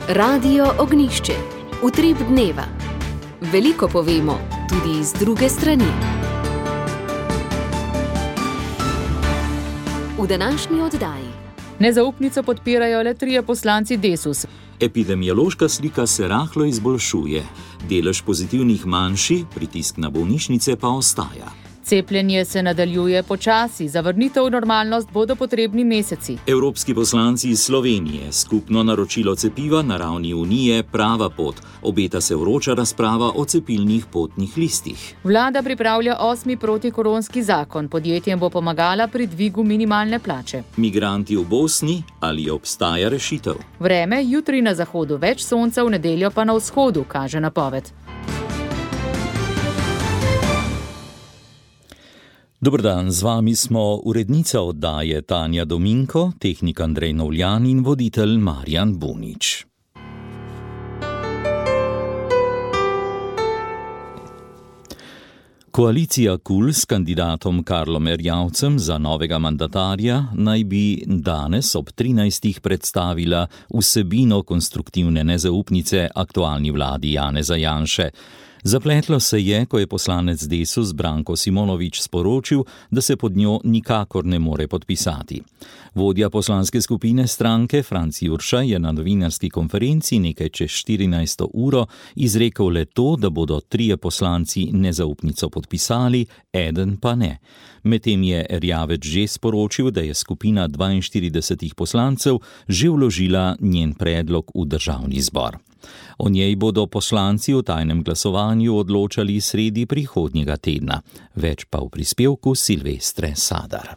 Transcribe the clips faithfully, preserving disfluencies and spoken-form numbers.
Radio Ognjišče. Utrip dneva. Veliko povemo, tudi iz druge strani. V današnji oddaji. Nezaupnico podpirajo le trije poslanci Desus. Epidemiološka slika se rahlo izboljšuje. Delež pozitivnih manjši, pritisk na bolnišnice pa ostaja. Cepljenje se nadaljuje počasi, za vrnitev v normalnost bodo potrebni meseci. Evropski poslanci iz Slovenije, skupno naročilo cepiva na ravni Unije prava pot. Obeta se vroča razprava o cepilnih potnih listih. Vlada pripravlja osmi protikoronski zakon. Podjetjem bo pomagala pri dvigu minimalne plače. Migranti v Bosni, ali obstaja rešitev? Vreme, jutri na zahodu več sonca, v nedeljo pa na vzhodu, kaže napoved. Dober dan, z vami smo urednica oddaje Tanja Dominko, tehnik Andrej Novljan in voditelj Marjan Bunič. Koalicija KUL s kandidatom Karlom Erjavcem za novega mandatarja naj bi danes ob trinajstih predstavila vsebino konstruktivne nezaupnice aktualni vladi Janeza Janše. Zapletlo se je, ko je poslanec Desus Branko Simonovič sporočil, da se pod njo nikakor ne more podpisati. Vodja poslanske skupine stranke Franc Jurša je na novinarski konferenci nekaj čez štirinajsto uro izrekel le to, da bodo trije poslanci nezaupnico podpisali, eden pa ne. Medtem je Erjavec že sporočil, da je skupina dvainštiridesetih poslancev že vložila njen predlog v državni zbor. O njej bodo poslanci v tajnem glasovanju odločali sredi prihodnjega tedna. Več pa v prispevku Silvestre Sadar.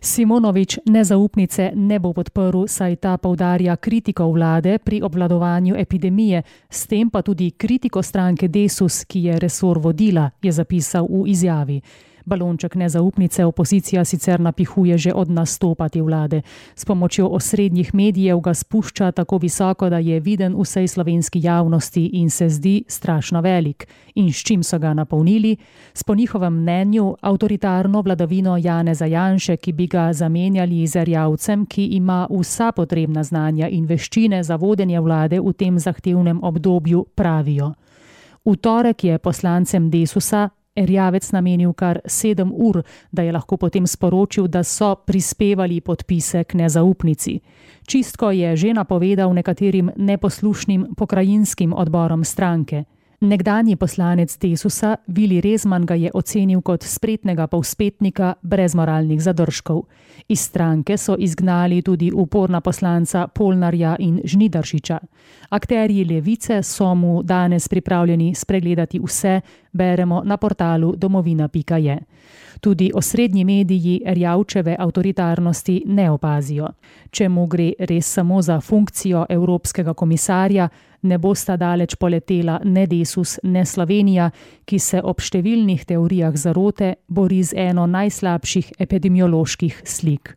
Simonovič nezaupnice ne bo podprl, saj ta poudarja kritiko vlade pri obvladovanju epidemije, s tem pa tudi kritiko stranke Desus, ki je resor vodila, je zapisal v izjavi. Balonček nezaupnice opozicija sicer napihuje že od nastopa te vlade. S pomočjo osrednjih medijev ga spušča tako visoko, da je viden vsej slovenski javnosti in se zdi strašno velik. In s čim so ga napolnili? S po njihovem mnenju avtoritarno vladavino Janeza Janše, ki bi ga zamenjali z Erjavcem, ki ima vsa potrebna znanja in veščine za vodenje vlade v tem zahtevnem obdobju, pravijo. V torek je poslancem Desusa Erjavec namenil kar sedem ur, da je lahko potem sporočil, da so prispevali podpise k nezaupnici. Čistko je že napovedal nekaterim neposlušnim pokrajinskim odborom stranke. Nekdanji poslanec Desusa Vili Rezman ga je ocenil kot spretnega povzpetnika brez moralnih zadržkov. Iz stranke so izgnali tudi uporna poslanca Polnarja in Žnidaršiča. Akterji levice so mu danes pripravljeni spregledati vse, beremo na portalu domovina pika je. Tudi osrednji mediji Erjavčeve avtoritarnosti ne opazijo. Če mu gre res samo za funkcijo evropskega komisarja, ne bosta daleč poletela ne Desus, ne Slovenija, ki se ob številnih teorijah zarote bori z eno najslabših epidemioloških slik.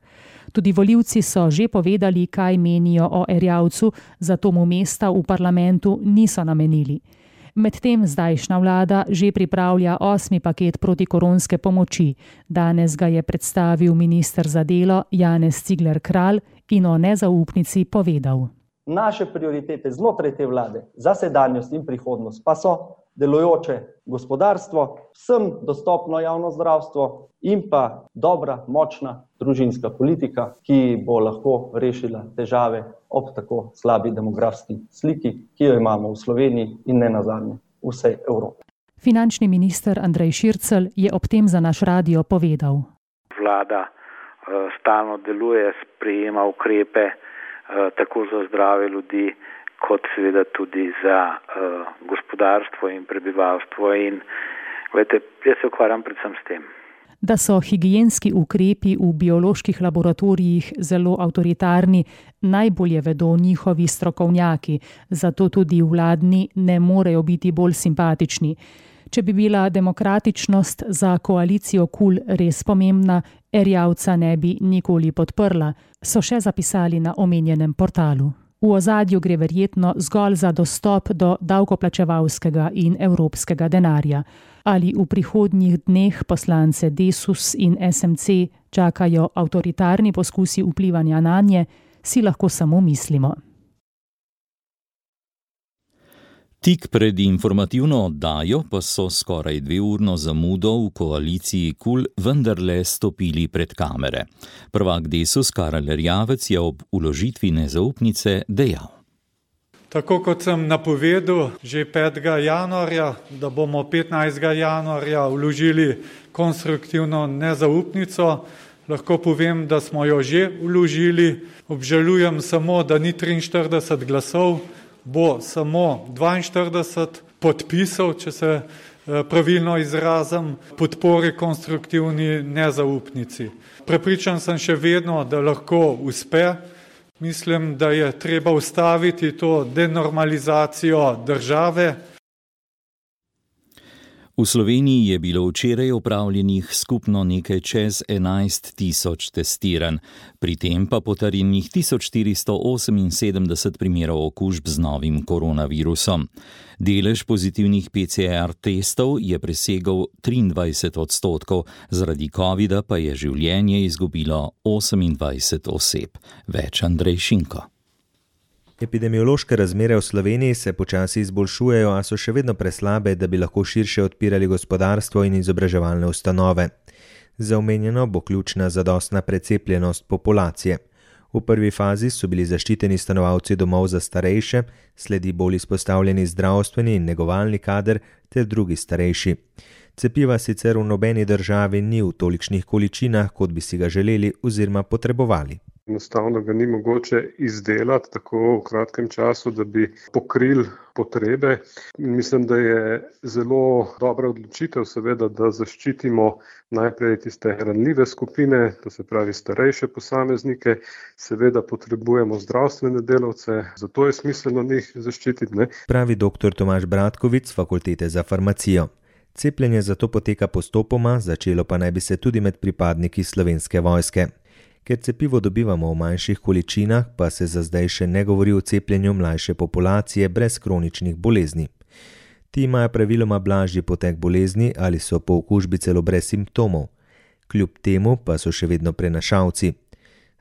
Tudi volivci so že povedali, kaj menijo o Erjavcu, zato mu mesta v parlamentu niso namenili. Medtem zdajšnja vlada že pripravlja osmi paket protikoronske pomoči. Danes ga je predstavil minister za delo Janez Cigler Kralj in o nezaupnici povedal. Naše prioritete znotraj te vlade za sedanjost in prihodnost pa so delujoče gospodarstvo, vsem dostopno javno zdravstvo in pa dobra, močna družinska politika, ki bo lahko rešila težave ob tako slabi demografski sliki, ki jo imamo v Sloveniji in ne nazadnje v vsej Evropi. Finančni minister Andrej Šircelj je ob tem za naš radio povedal. Vlada uh, stalno deluje, sprejema ukrepe uh, tako za zdrave ljudi, kot seveda tudi za uh, gospodarstvo in prebivalstvo. In gledajte, jaz se ukvarjam predvsem s tem. Da so higienski ukrepi v bioloških laboratorijih zelo avtoritarni, najbolje vedo njihovi strokovnjaki, zato tudi vladni ne morejo biti bolj simpatični. Če bi bila demokratičnost za koalicijo KUL res pomembna, Erjavca ne bi nikoli podprla, so še zapisali na omenjenem portalu. V ozadju gre verjetno zgolj za dostop do davkoplačevalskega in evropskega denarja. Ali v prihodnjih dneh poslance Desus in es em ce čakajo avtoritarni poskusi vplivanja nanje, si lahko samo mislimo. Tik pred informativno oddajo pa so skoraj dveurno zamudo v koaliciji KUL vendarle stopili pred kamere. Prvak Desus Karel Erjavec je ob vložitvi nezaupnice dejal. Tako kot sem napovedal že petega januarja, da bomo petnajstega januarja vložili konstruktivno nezaupnico, lahko povem, da smo jo že vložili. Obžalujem samo, da ni triinštirideset glasov, bo samo dvainštirideset podpisov, če se pravilno izrazim, podpore konstruktivni nezaupnici. Prepričan sem še vedno, da lahko uspe. Mislim, da je treba ustaviti to denormalizacijo države. V Sloveniji je bilo včeraj opravljenih skupno nekaj čez enajst tisoč testiranj, pri tem pa potrjenih tisoč štiristo oseminsedemdeset primerov okužb z novim koronavirusom. Delež pozitivnih P C R testov je presegel triindvajset odstotkov, zaradi covida pa je življenje izgubilo osemindvajset oseb. Več Andrej Šinko. Epidemiološke razmere v Sloveniji se počasi izboljšujejo, a so še vedno preslabe, da bi lahko širše odpirali gospodarstvo in izobraževalne ustanove. Za omenjeno bo ključna zadostna precepljenost populacije. V prvi fazi so bili zaščiteni stanovalci domov za starejše, sledi bolj izpostavljeni zdravstveni in negovalni kader ter drugi starejši. Cepiva sicer v nobeni državi ni v tolikšnih količinah, kot bi si ga želeli oziroma potrebovali. Enostavno ga ni mogoče izdelati tako v kratkem času, da bi pokrili potrebe. Mislim, da je zelo dobra odločitev, seveda, da zaščitimo najprej tiste ranljive skupine, to se pravi starejše posameznike, seveda potrebujemo zdravstvene delavce, zato je smiselno njih zaščititi. Ne? Pravi doktor Tomaž Bratkovič z Fakultete za farmacijo. Cepljenje zato poteka postopoma, začelo pa naj bi se tudi med pripadniki Slovenske vojske. Ker cepivo dobivamo v manjših količinah, pa se za zdaj še ne govori o cepljenju mlajše populacije brez kroničnih bolezni. Ti imajo praviloma blažji potek bolezni ali so po okužbi celo brez simptomov. Kljub temu pa so še vedno prenašalci.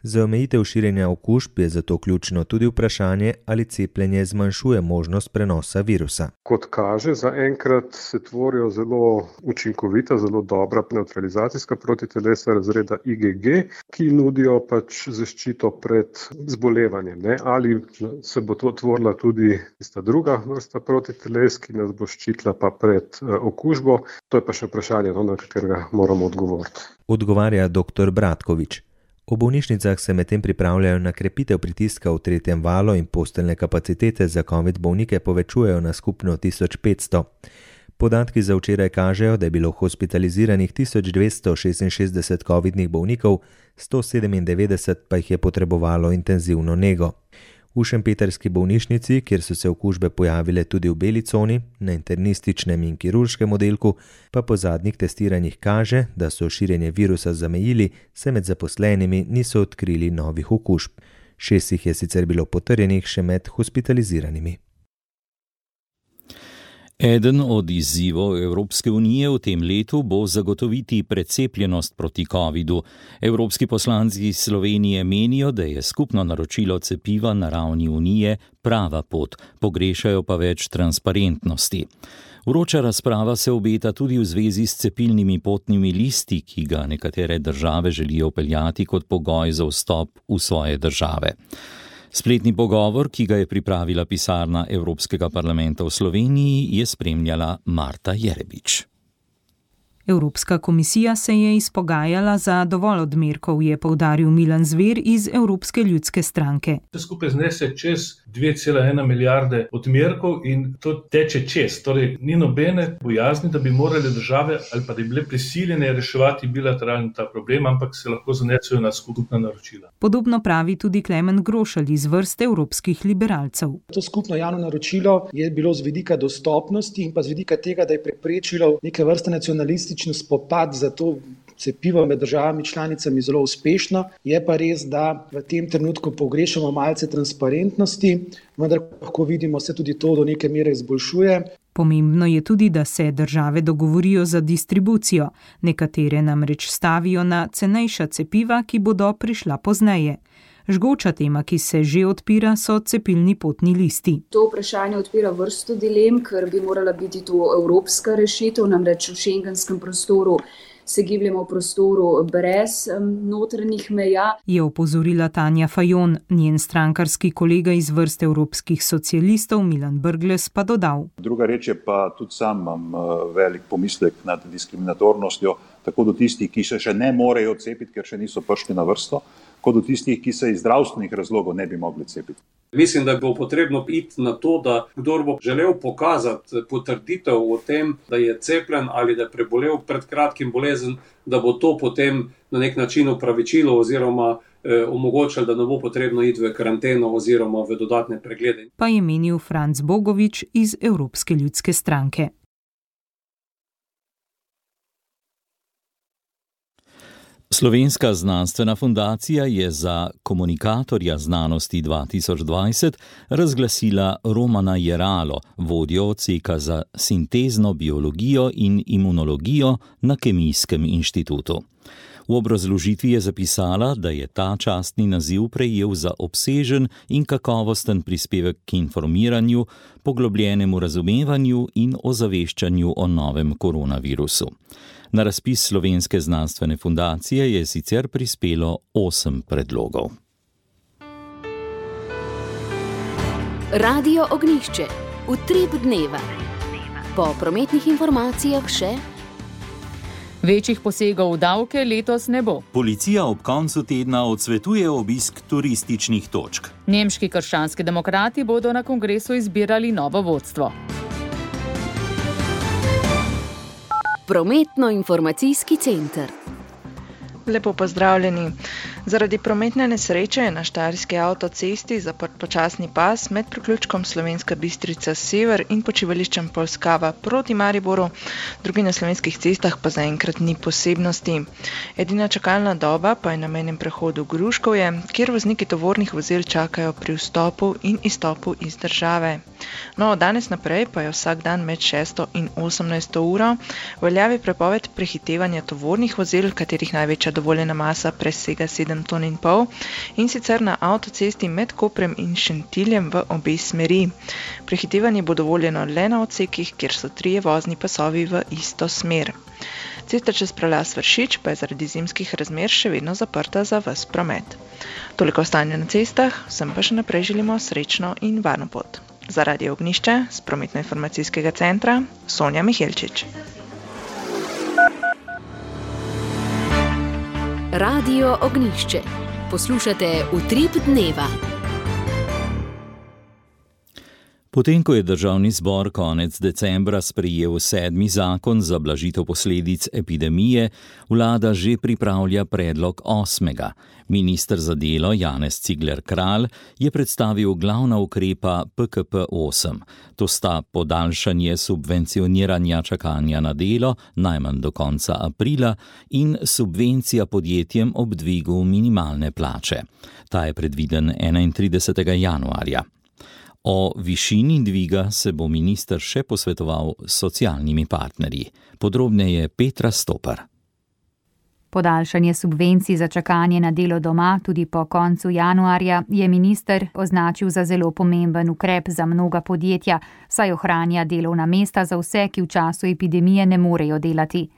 Za omejitev širjenja okužb je zato ključno tudi vprašanje, ali cepljenje zmanjšuje možnost prenosa virusa. Kot kaže, zaenkrat se tvorijo zelo učinkovita, zelo dobra nevtralizacijska protitelesa razreda I G G, ki nudijo pač zaščito pred zbolevanjem. Ne? Ali se bo to tvorila tudi tista druga vrsta protiteles, ki nas bo ščitila pa pred okužbo, to je pa še vprašanje, na katerega moramo odgovoriti. Odgovarja doktor Bratkovič. V bolnišnicah se medtem pripravljajo na krepitev pritiska v tretjem valu in posteljne kapacitete za covid bolnike povečujejo na skupno tisoč petsto. Podatki za včeraj kažejo, da je bilo hospitaliziranih tisoč dvesto šestinšestdeset covidnih bolnikov, sto sedemindevetdeset pa jih je potrebovalo intenzivno nego. V šempetrski bolnišnici, kjer so se okužbe pojavile tudi v beli coni, na internističnem in kirurškem oddelku, pa po zadnjih testiranjih kaže, da so širjenje virusa zamejili, se med zaposlenimi niso odkrili novih okužb. Šest jih je sicer bilo potrjenih še med hospitaliziranimi. Eden od izzivov Evropske unije v tem letu bo zagotoviti precepljenost proti covidu. Evropski poslanci iz Slovenije menijo, da je skupno naročilo cepiva na ravni unije prava pot, pogrešajo pa več transparentnosti. Vroča razprava se obeta tudi v zvezi s cepilnimi potnimi listi, ki ga nekatere države želijo vpeljati kot pogoj za vstop v svoje države. Spletni pogovor, ki ga je pripravila pisarna Evropskega parlamenta v Sloveniji, je spremljala Marta Jerebič. Evropska komisija se je izpogajala za dovolj odmerkov, je poudaril Milan Zver iz Evropske ljudske stranke. Vse skupaj znese čez dve cela ena milijarde odmerkov in to teče čez. Torej, ni nobene bojazni, da bi morale države ali pa da bi bile prisiljene reševati bilateralni ta problem, ampak se lahko zanesejo na skupna naročila. Podobno pravi tudi Klemen Grošelj iz vrste evropskih liberalcev. To skupno javno naročilo je bilo z vidika dostopnosti in pa z vidika tega, da je preprečilo neke vrste nacionalistične spopad za to cepivo med državami članicami zelo uspešno. Je pa res, da v tem trenutku pogrešamo malce transparentnosti, vendar lahko vidimo, se tudi to do neke mere izboljšuje. Pomembno je tudi, da se države dogovorijo za distribucijo. Nekatere namreč stavijo na cenejša cepiva, ki bodo prišla pozneje. Žgoča tema, ki se že odpira, so cepilni potni listi. To vprašanje odpira vrsto dilem, ker bi morala biti to evropska rešitev, namreč v šengenskem prostoru se gibljemo v prostoru brez notranjih meja. Je opozorila Tanja Fajon, njen strankarski kolega iz vrst evropskih socialistov Milan Brglez pa dodal. Druga reč je pa tudi sam imam velik pomislek nad diskriminatornostjo, tako do tistih, ki se še ne morejo cepiti, ker še niso prišli na vrsto, kot do tistih, ki se iz zdravstvenih razlogov ne bi mogli cepiti. Mislim, da bo potrebno iti na to, da kdor bo želel pokazati potrditev o tem, da je cepljen ali da je prebolel pred kratkim bolezen, da bo to potem na nek način upravičilo oziroma eh, omogočilo, da ne bo potrebno iti v karanteno oziroma v dodatne preglede. Pa je menil Franc Bogovič iz Evropske ljudske stranke. Slovenska znanstvena fundacija je za komunikatorja znanosti dva tisoč dvajset razglasila Romana Jeralo, vodjo odseka za sintezno biologijo in imunologijo na Kemijskem inštitutu. V obrazložitvi je zapisala, da je ta častni naziv prejel za obsežen in kakovosten prispevek k informiranju, poglobljenemu razumevanju in ozaveščanju o novem koronavirusu. Na razpis Slovenske znanstvene fundacije je sicer prispelo osem predlogov. Radio Ognjišče. Utrip dneva. Po prometnih informacijah še: večjih posegov v davke letos ne bo. Policija ob koncu tedna odsvetuje obisk turističnih točk. Nemški krščanski demokrati bodo na kongresu izbirali novo vodstvo. Prometno-informacijski center. Lepo pozdravljeni. Zaradi prometne nesreče je na štajerski avtocesti zaprt počasni pas med priključkom Slovenska Bistrica sever in počivališčem Polskava proti Mariboru, drugi na slovenskih cestah pa zaenkrat ni posebnosti. Edina čakalna doba pa je na mejnem prehodu Gruškovje, kjer vozniki tovornih vozil čakajo pri vstopu in izstopu iz države. No, danes naprej pa je vsak dan med šesto in osemnajsto uro veljavi prepoved prehitevanja tovornih vozil, katerih največja dovoljena masa presega sedem ton in pol, in sicer na avtocesti med Koprem in Šentiljem v obe smeri. Prehitevanje bo dovoljeno le na odsekih, kjer so trije vozni pasovi v isto smer. Cesta čez prelaz Vršič pa je zaradi zimskih razmer še vedno zaprta za ves promet. Toliko o stanju na cestah, vsem pa še naprej želimo srečno in varno pot. Za Radio Ognjišče z prometno-informacijskega centra Sonja Mihelčič. Radio Ognjišče. Poslušate Utrip dneva. Potem, ko je državni zbor konec decembra sprejel sedmi zakon za blažitev posledic epidemije, vlada že pripravlja predlog osmega. Minister za delo Janez Cigler Kralj je predstavil glavna ukrepa P K P osem. To sta podaljšanje subvencioniranja čakanja na delo najmanj do konca aprila in subvencija podjetjem ob dvigu minimalne plače. Ta je predviden enaintridesetega januarja. O višini dviga se bo minister še posvetoval s socialnimi partnerji. Podrobneje Petra Stopar. Podaljšanje subvencij za čakanje na delo doma tudi po koncu januarja je minister označil za zelo pomemben ukrep za mnoga podjetja, saj ohranja delovna mesta za vse, ki v času epidemije ne morejo delati.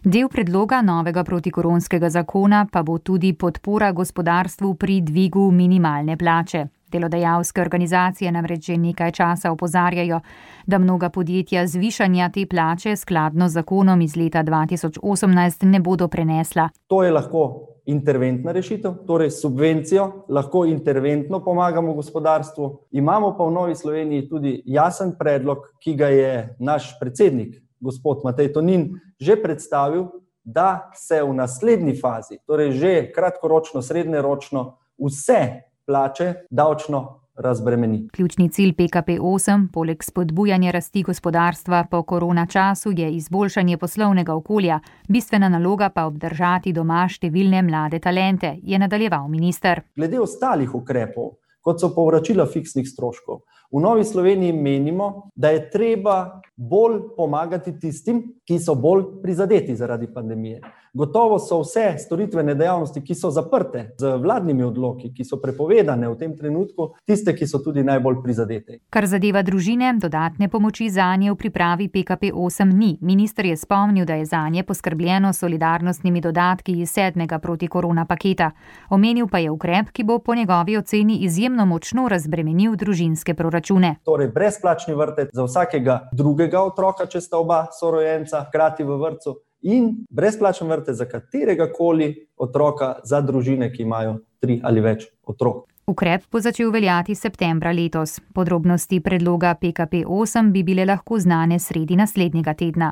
Del predloga novega protikoronskega zakona pa bo tudi podpora gospodarstvu pri dvigu minimalne plače. Delodajalske organizacije namreč že nekaj časa opozarjajo, da mnoga podjetja zvišanja te plače skladno z zakonom iz leta dva tisoč osemnajst ne bodo prenesla. To je lahko interventna rešitev, torej subvencijo, lahko interventno pomagamo gospodarstvu. Imamo pa v Novi Sloveniji tudi jasen predlog, ki ga je naš predsednik, gospod Matej Tonin, že predstavil, da se v naslednji fazi, torej že kratkoročno, srednjeročno, vse plače davčno razbremeni. Ključni cilj P K P osem, poleg spodbujanja rasti gospodarstva po korona času, je izboljšanje poslovnega okolja, bistvena naloga pa obdržati doma številne mlade talente, je nadaljeval minister. Glede ostalih ukrepov, kot so povračila fiksnih stroškov. V Novi Sloveniji menimo, da je treba bolj pomagati tistim, ki so bolj prizadeti zaradi pandemije. Gotovo so vse storitvene dejavnosti, ki so zaprte z vladnimi odloki, ki so prepovedane v tem trenutku, tiste, ki so tudi najbolj prizadete. Kar zadeva družine, dodatne pomoči zanje v pripravi P K P osem ni. Minister je spomnil, da je zanje poskrbljeno s solidarnostnimi dodatki iz sedmega protikorona paketa. Omenil pa je ukrep, ki bo po njegovi oceni izjemno močno razbremenil družinske proračune. Torej, brezplačni vrtec za vsakega drugega otroka, če sta oba sorojenca hkrati v vrtcu, in brezplačen vrtec za katerega koli otroka za družine, ki imajo tri ali več otrok. Ukrep bo začel veljati septembra letos. Podrobnosti predloga P K P osem bi bile lahko znane sredi naslednjega tedna.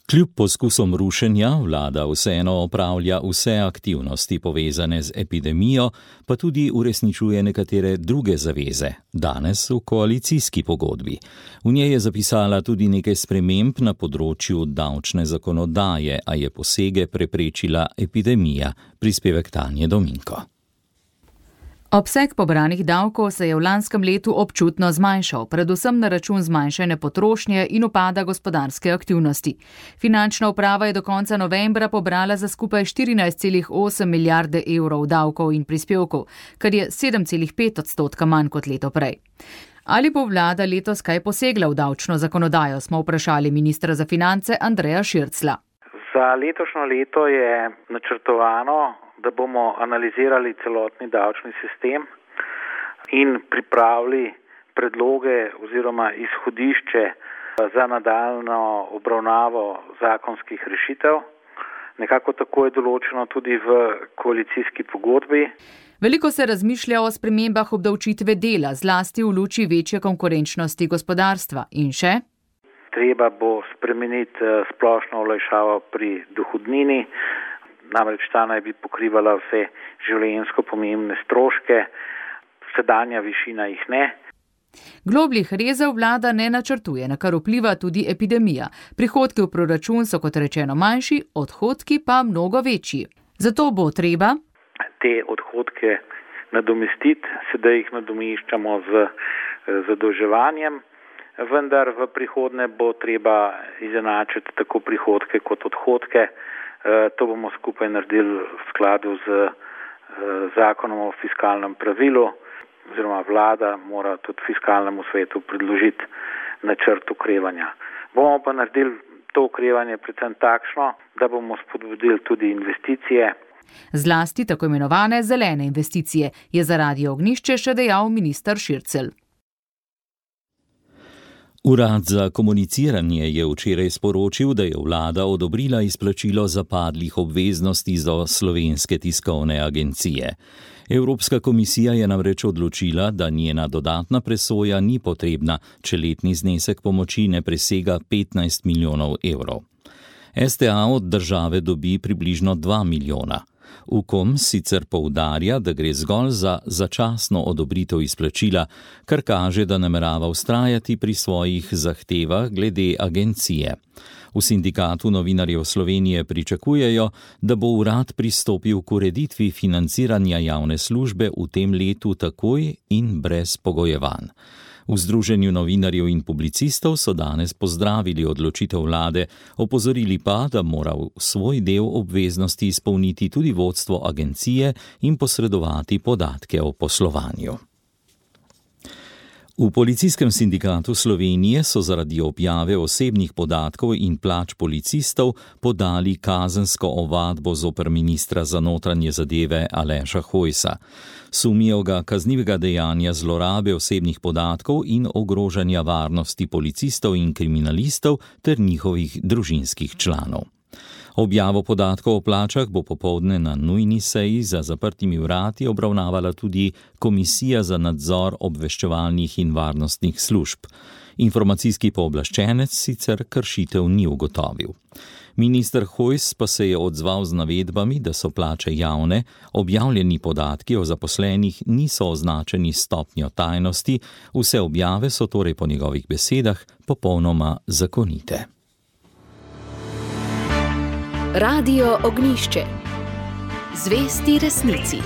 Kljub poskusom rušenja vlada vseeno opravlja vse aktivnosti povezane z epidemijo, pa tudi uresničuje nekatere druge zaveze, danes v koalicijski pogodbi. V njej je zapisala tudi nekaj sprememb na področju davčne zakonodaje, a je posege preprečila epidemija. Prispevek Tanje Dominko. Obseg pobranih davkov se je v lanskem letu občutno zmanjšal, predvsem na račun zmanjšane potrošnje in upada gospodarske aktivnosti. Finančna uprava je do konca novembra pobrala za skupaj štirinajst celih osem milijarde evrov davkov in prispevkov, kar je sedem celih pet odstotka manj kot leto prej. Ali bo vlada letos kaj posegla v davčno zakonodajo, smo vprašali ministra za finance Andreja Širclja. Za letošnjo leto je načrtovano, da bomo analizirali celotni davčni sistem in pripravili predloge oziroma izhodišče za nadaljnjo obravnavo zakonskih rešitev. Nekako tako je določeno tudi v koalicijski pogodbi. Veliko se razmišlja o spremembah obdavčitve dela, zlasti v luči večje konkurenčnosti gospodarstva. In še? Treba bo spremeniti splošno olajšavo pri dohodnini, namreč ta naj bi pokrivala vse življenjsko pomembne stroške, sedanja višina jih ne. Globljih rezov vlada ne načrtuje, na kar vpliva tudi epidemija. Prihodki v proračun so kot rečeno manjši, odhodki pa mnogo večji. Zato bo treba te odhodke nadomestiti, sedaj jih nadomeščamo z zadolževanjem, vendar v prihodnje bo treba izenačiti tako prihodke kot odhodke. To bomo skupaj naredili v skladu z zakonom o fiskalnem pravilu, oziroma vlada mora tudi fiskalnemu svetu predložiti načrt okrevanja. Bomo pa naredili to okrevanje predvsem takšno, da bomo spodbudili tudi investicije. Zlasti tako imenovane zelene investicije, je za Radio Ognjišče še dejal minister Šircelj. Urad za komuniciranje je včeraj sporočil, da je vlada odobrila izplačilo zapadlih obveznosti do Slovenske tiskovne agencije. Evropska komisija je namreč odločila, da njena dodatna presoja ni potrebna, če letni znesek pomoči ne presega petnajst milijonov evrov. S T A od države dobi približno dva milijona. Ukom sicer poudarja, da gre zgolj za začasno odobritev izplačila, kar kaže, da namerava vztrajati pri svojih zahtevah glede agencije. V Sindikatu novinarjev Slovenije pričakujejo, da bo urad pristopil k ureditvi financiranja javne službe v tem letu takoj in brez pogojevanj. V Združenju novinarjev in publicistov so danes pozdravili odločitev vlade, opozorili pa, da mora svoj del obveznosti izpolniti tudi vodstvo agencije in posredovati podatke o poslovanju. V Policijskem sindikatu Slovenije so zaradi objave osebnih podatkov in plač policistov podali kazensko ovadbo zoper ministra za notranje zadeve Aleša Hojsa. Sumijo ga kaznivega dejanja zlorabe osebnih podatkov in ogrožanja varnosti policistov in kriminalistov ter njihovih družinskih članov. Objavo podatkov o plačah bo popoldne na nujni seji za zaprtimi vrati obravnavala tudi Komisija za nadzor obveščevalnih in varnostnih služb. Informacijski pooblaščenec sicer kršitev ni ugotovil. Minister Hojs pa se je odzval z navedbami, da so plače javne, objavljeni podatki o zaposlenih niso označeni s stopnjo tajnosti, vse objave so torej po njegovih besedah popolnoma zakonite. Radio Ognjišče. Zvesti resnici.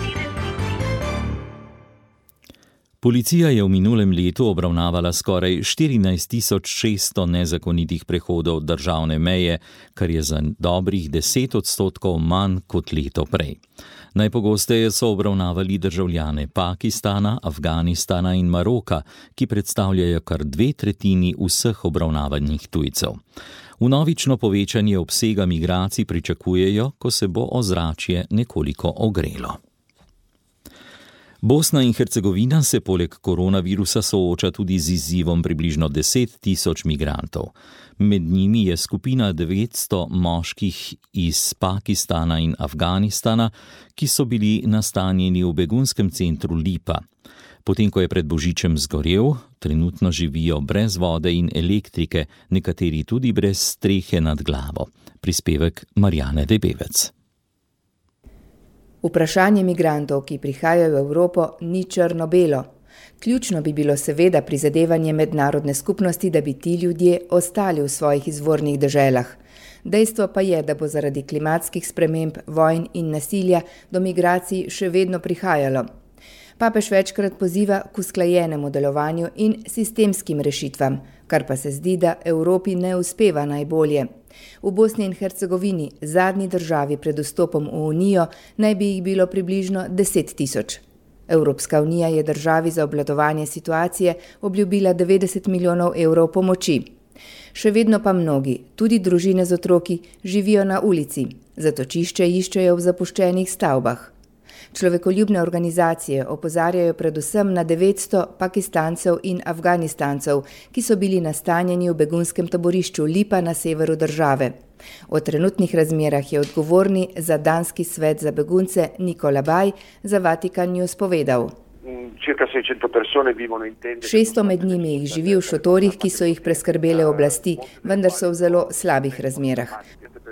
Policija je v minulem letu obravnavala skoraj štirinajst tisoč šeststo nezakonitih prehodov državne meje, kar je za dobrih deset odstotkov manj kot leto prej. Najpogosteje so obravnavali državljane Pakistana, Afganistana in Maroka, ki predstavljajo kar dve tretjini vseh obravnavanih tujcev. Vnovično povečanje obsega migracij pričakujejo, ko se bo ozračje nekoliko ogrelo. Bosna in Hercegovina se poleg koronavirusa sooča tudi z izzivom približno deset tisoč migrantov. Med njimi je skupina devetsto moških iz Pakistana in Afganistana, ki so bili nastanjeni v begunskem centru Lipa. Potem, ko je pred božičem zgorel, trenutno živijo brez vode in elektrike, nekateri tudi brez strehe nad glavo. Prispevek Marjane Debevec. Vprašanje migrantov, ki prihajajo v Evropo, ni črno-belo. Ključno bi bilo seveda prizadevanje mednarodne skupnosti, da bi ti ljudje ostali v svojih izvornih deželah. Dejstvo pa je, da bo zaradi klimatskih sprememb, vojn in nasilja do migracij še vedno prihajalo. Papež večkrat poziva k usklajenemu delovanju in sistemskim rešitvam, kar pa se zdi, da Evropi ne uspeva najbolje. V Bosni in Hercegovini, zadnji državi pred vstopom v Unijo, naj bi jih bilo približno deset tisoč. Evropska unija je državi za obvladovanje situacije obljubila devetdeset milijonov evrov pomoči. Še vedno pa mnogi, tudi družine z otroki, živijo na ulici, zatočišče iščejo v zapuščenih stavbah. Človekoljubne organizacije opozarjajo predvsem na devetsto Pakistancev in Afganistancev, ki so bili nastanjeni v begunskem taborišču Lipa na severu države. O trenutnih razmerah je odgovorni za danski svet za begunce Nikola Baj za Vatikan News povedal. šeststo med njimi jih živi v šotorih, ki so jih preskrbele oblasti, vendar so v zelo slabih razmerah.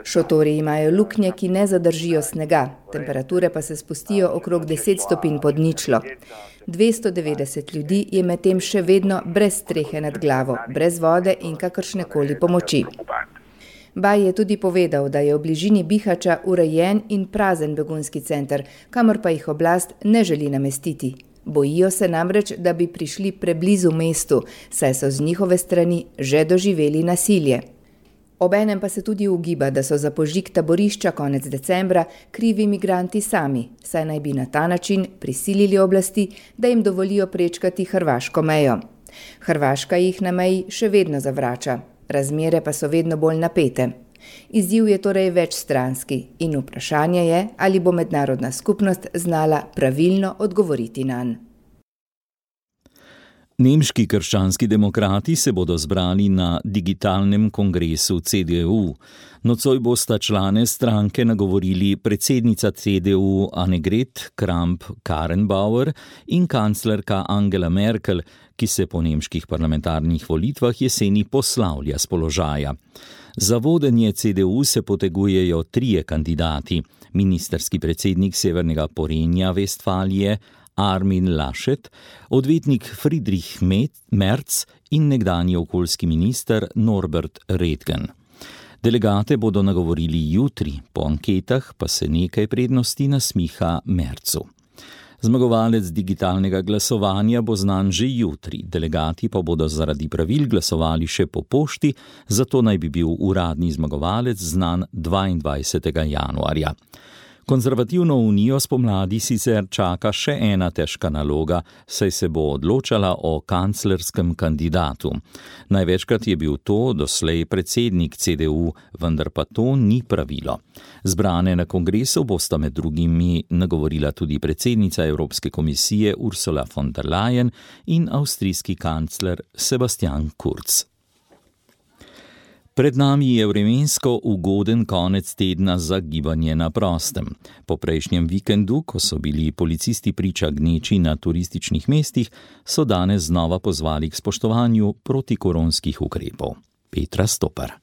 Šotori imajo luknje, ki ne zadržijo snega, temperature pa se spustijo okrog deset stopinj pod ničlo. dvesto devetdeset ljudi je medtem še vedno brez strehe nad glavo, brez vode in kakršnekoli pomoči. Baj je tudi povedal, da je v bližini Bihača urejen in prazen begunski center, kamor pa jih oblast ne želi namestiti. Bojijo se namreč, da bi prišli preblizu mestu, saj so z njihove strani že doživeli nasilje. Obenem pa se tudi ugiba, da so za požig taborišča konec decembra krivi migranti sami, saj naj bi na ta način prisilili oblasti, da jim dovolijo prečkati hrvaško mejo. Hrvaška jih na meji še vedno zavrača, razmere pa so vedno bolj napete. Izziv je torej večstranski in vprašanje je, ali bo mednarodna skupnost znala pravilno odgovoriti nanj. Nemški krščanski demokrati se bodo zbrali na digitalnem kongresu C D U. Nocoj bosta člane stranke nagovorili predsednica C D U Annegret Kramp-Karrenbauer in kanclerka Angela Merkel, ki se po nemških parlamentarnih volitvah jeseni poslavlja s položaja. Za vodenje C D U se potegujejo trije kandidati, ministerski predsednik Severnega Porenja Vestfalije Armin Laschet, odvetnik Friedrich Merz in nekdanji okoljski minister Norbert Redgen. Delegate bodo nagovorili jutri, po anketah pa se nekaj prednosti nasmiha Merzu. Zmagovalec digitalnega glasovanja bo znan že jutri, delegati pa bodo zaradi pravil glasovali še po pošti, zato naj bi bil uradni zmagovalec znan dvaindvajsetega januarja. Konzervativno unijo spomladi sicer čaka še ena težka naloga, saj se bo odločala o kanclerskem kandidatu. Največkrat je bil to doslej predsednik C D U, vendar pa to ni pravilo. Zbrane na kongresu bosta med drugimi nagovorila tudi predsednica Evropske komisije Ursula von der Leyen in avstrijski kancler Sebastian Kurz. Pred nami je vremensko ugoden konec tedna za gibanje na prostem. Po prejšnjem vikendu, ko so bili policisti priča gneči na turističnih mestih, so danes znova pozvali k spoštovanju protikoronskih ukrepov. Petra Stopar.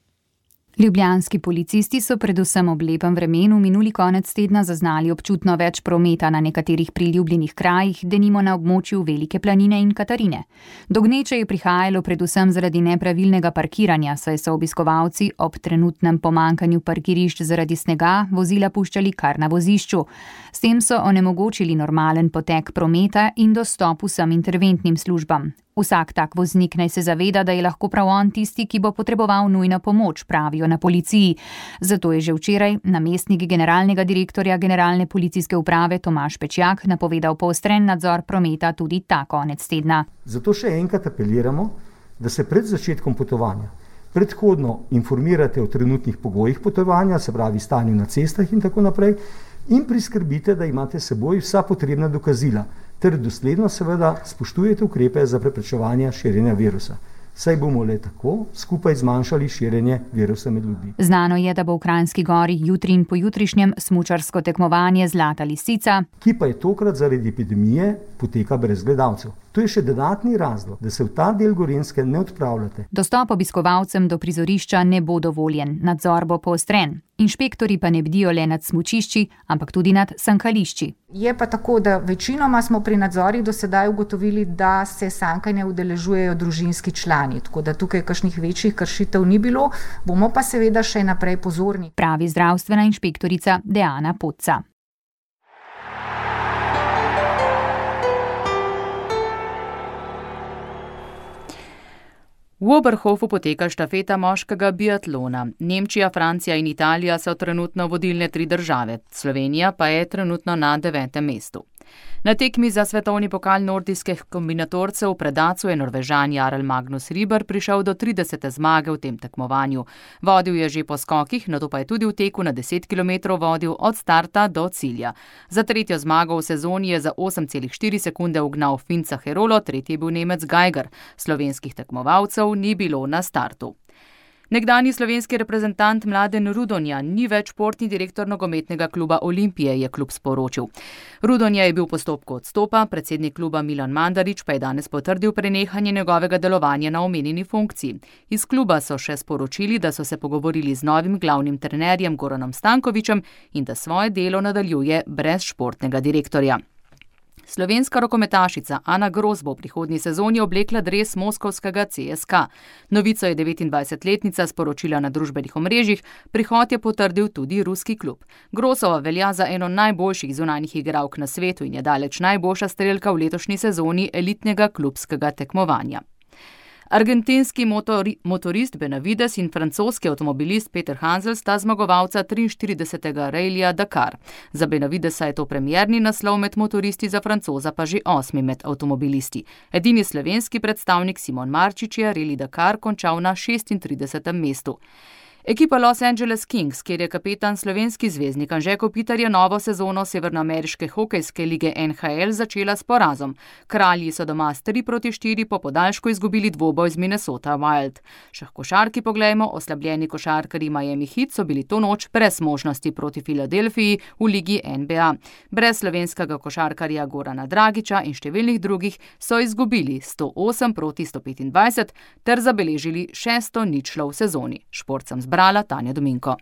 Ljubljanski policisti so predvsem ob lepem vremenu minuli konec tedna zaznali občutno več prometa na nekaterih priljubljenih krajih, denimo na območju Velike planine in Katarine. Do gneče je prihajalo predvsem zaradi nepravilnega parkiranja, saj so obiskovalci ob trenutnem pomankanju parkirišč zaradi snega vozila puščali kar na vozišču. S tem so onemogočili normalen potek prometa in dostop vsem interventnim službam. Vsak tak voznik naj se zaveda, da je lahko prav on tisti, ki bo potreboval nujno pomoč, pravijo na policiji. Zato je že včeraj namestnik generalnega direktorja Generalne policijske uprave Tomaž Pečjak napovedal poostren nadzor prometa tudi ta konec tedna. Zato še enkrat apeliramo, da se pred začetkom potovanja predhodno informirate o trenutnih pogojih potovanja, se pravi stanju na cestah in tako naprej, in priskrbite, da imate s seboj vsa potrebna dokazila, ter dosledno seveda spoštujete ukrepe za preprečevanje širjenja virusa. Saj bomo le tako skupaj zmanjšali širjenje virusa med ljudmi. Znano je, da bo v Kranjski Gori jutri in pojutrišnjem smučarsko tekmovanje Zlata lisica, ki pa je tokrat zaradi epidemije poteka brez gledalcev. To je še dodatni razlog, da se v ta del Gorenjske ne odpravljate. Dostop obiskovalcem do prizorišča ne bo dovoljen, nadzor bo poostren. Inšpektori pa ne bdijo le nad smučišči, ampak tudi nad sankališči. Je pa tako, da večinoma smo pri nadzorih do sedaj ugotovili, da se sankanja udeležujejo družinski člani, tako da tukaj kakšnih večjih kršitev ni bilo, bomo pa seveda še naprej pozorni. Pravi zdravstvena inšpektorica Deana Podca. V Oberhofu poteka štafeta moškega biatlona. Nemčija, Francija in Italija so trenutno vodilne tri države, Slovenija pa je trenutno na devetem mestu. Na tekmi za svetovni pokal nordijskih kombinatorcev v Predacu je Norvežan Jarl Magnus Riber prišel do tridesete zmage v tem tekmovanju. Vodil je že po skokih, nato pa je tudi v teku na deset kilometrov vodil od starta do cilja. Za tretjo zmago v sezoni je za osem celih štiri sekunde ugnal Finca Herolo, tretji je bil Nemec Geiger. Slovenskih tekmovalcev ni bilo na startu. Nekdanji slovenski reprezentant Mladen Rudonja ni več športni direktor nogometnega kluba Olimpije, je klub sporočil. Rudonja je bil v postopku odstopa, predsednik kluba Milan Mandarić pa je danes potrdil prenehanje njegovega delovanja na omenjeni funkciji. Iz kluba so še sporočili, da so se pogovorili z novim glavnim trenerjem Goranom Stankovićem in da svoje delo nadaljuje brez športnega direktorja. Slovenska rokometašica Ana Gros bo v prihodnji sezoni oblekla dres moskovskega C S K A. Novico je devetindvajsetletnica sporočila na družbenih omrežjih, prihod je potrdil tudi ruski klub. Grosova velja za eno najboljših zunanjih igralk na svetu in je daleč najboljša strelka v letošnji sezoni elitnega klubskega tekmovanja. Argentinski motori, motorist Benavides in francoski avtomobilist Peter Hansel sta zmagovalca triinštiridesetega rallija Dakar. Za Benavidesa je to premierni naslov med motoristi, za Francoza pa že osmi med avtomobilisti. Edini slovenski predstavnik Simon Marčič je rally Dakar končal na šestintridesetem mestu. Ekipa Los Angeles Kings, kjer je kapetan slovenski zvezdnik Anže Kopitar, je novo sezono severnoameriške hokejske lige N H L začela s porazom. Kralji so doma s tri proti štiri po podaljšku izgubili dvoboj z Minnesota Wild. Še košarki poglejmo, oslabljeni košarkarji Miami Heat so bili to noč brez možnosti proti Filadelfiji v ligi N B A. Brez slovenskega košarkarja Gorana Dragića in številnih drugih so izgubili sto osem proti sto petindvajset ter zabeležili šesto ničlo v sezoni. Šport sem brala Tanja Dominko.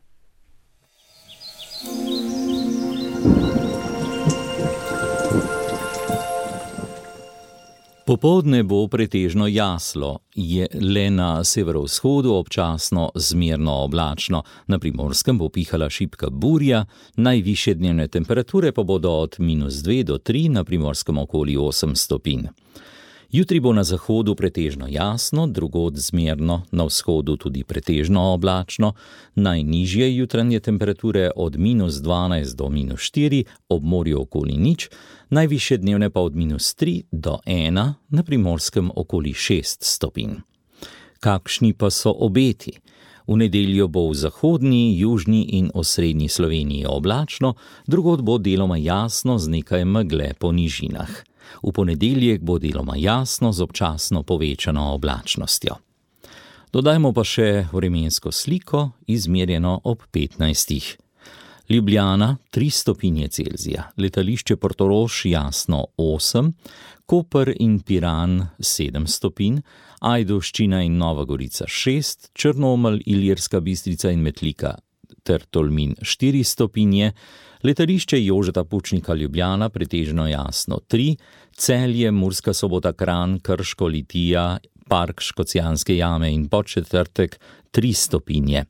Popoldne bo pretežno jaslo, je le na severovzhodu občasno zmerno oblačno, na Primorskem bo pihala šibka burja, najvišje dnevne temperature pa bodo od minus dve do tri, na Primorskem okoli osem stopinj. Jutri bo na zahodu pretežno jasno, drugod zmerno, na vzhodu tudi pretežno oblačno, najnižje jutranje temperature od minus dvanajst do minus štiri, ob morju okoli nič, najvišje dnevne pa od minus tri do ena, na Primorskem okoli šest stopinj. Kakšni pa so obeti? V nedeljo bo v zahodni, južni in osrednji Sloveniji oblačno, drugod bo deloma jasno z nekaj megle po nižinah. V ponedeljek bo deloma jasno z občasno povečano oblačnostjo. Dodajmo pa še vremensko sliko, izmerjeno ob petnajstih. Ljubljana tri stopinje Celzija, letališče Portorož jasno osem, Koper in Piran sedem stopinj, Ajdovščina in Nova Gorica šest, Črnomelj, Ilirska Bistrica in Metlika ter Tolmin štiri stopinje, letališče Jožeta Pučnika Ljubljana pretežno jasno tri, Celje, Murska Sobota, Kranj, Krško, Litija, Park Škocjanske jame in Podčetrtek tri stopinje.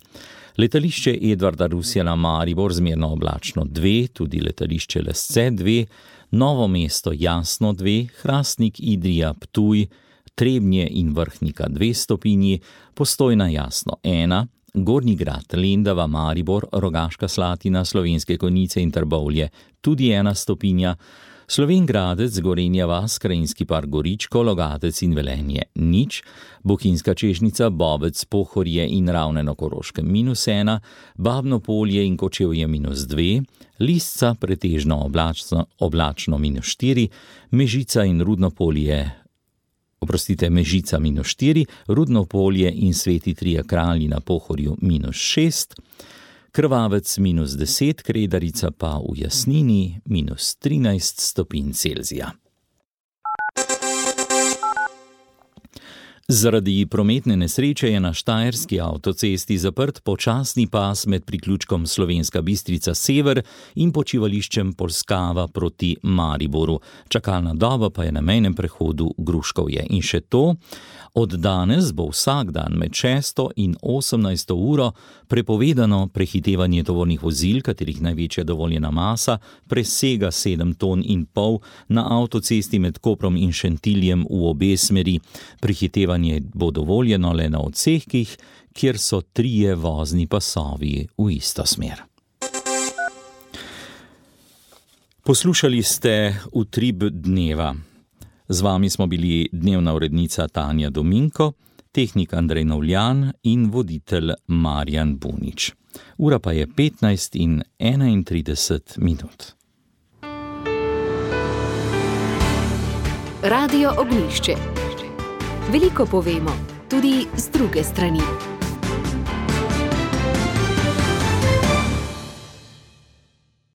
Letališče Edvarda Rusjana Maribor zmerno oblačno dve, tudi letališče Lesce dve, Novo mesto jasno dve, Hrastnik, Idrija, Ptuj, Trebnje in Vrhnika dve stopinji, Postojna jasno ena, Gornji Grad, Lendava, Maribor, Rogaška Slatina, Slovenske Konjice in Trbovlje tudi ena stopinja, Slovenj Gradec, Gorenja vas, Krajinski park Goričko, Logatec in Velenje nič, Bohinjska Čežnica, Bovec, Pohorje in Ravne na Koroškem minus ena, Babno Polje in Kočevje minus dve, Lisca pretežno oblačno, oblačno minus štiri, Mežica in Rudno Polje, oprostite, Mežica minus štiri, Rudno Polje in Sveti Trije Kralji na Pohorju minus šest, Krvavec minus deset, Kredarica pa v Jasnini minus trinajst stopinj Celzija. Zaradi prometne nesreče je na štajerski avtocesti zaprt počasni pas med priključkom Slovenska Bistrica Sever in počivališčem Polskava proti Mariboru. Čakalna doba pa je na mejnem prehodu Gruškovje. In še to, od danes bo vsak dan med šesto in osemnajsto uro prepovedano prehitevanje tovornih vozil, katerih največja dovoljena masa presega sedem ton in pol na avtocesti med Koprom in Šentiljem v obe smeri. Prehitevanje bo dovoljeno le na odsekih, kjer so trije vozni pasovi v isto smer. Poslušali ste Utrip dneva. Z vami smo bili dnevna urednica Tanja Dominko, tehnik Andrej Novljan in voditelj Marjan Bunič. Ura pa je petnajst in enaintrideset minut. Radio Ognjišče. Veliko povemo, tudi z druge strani.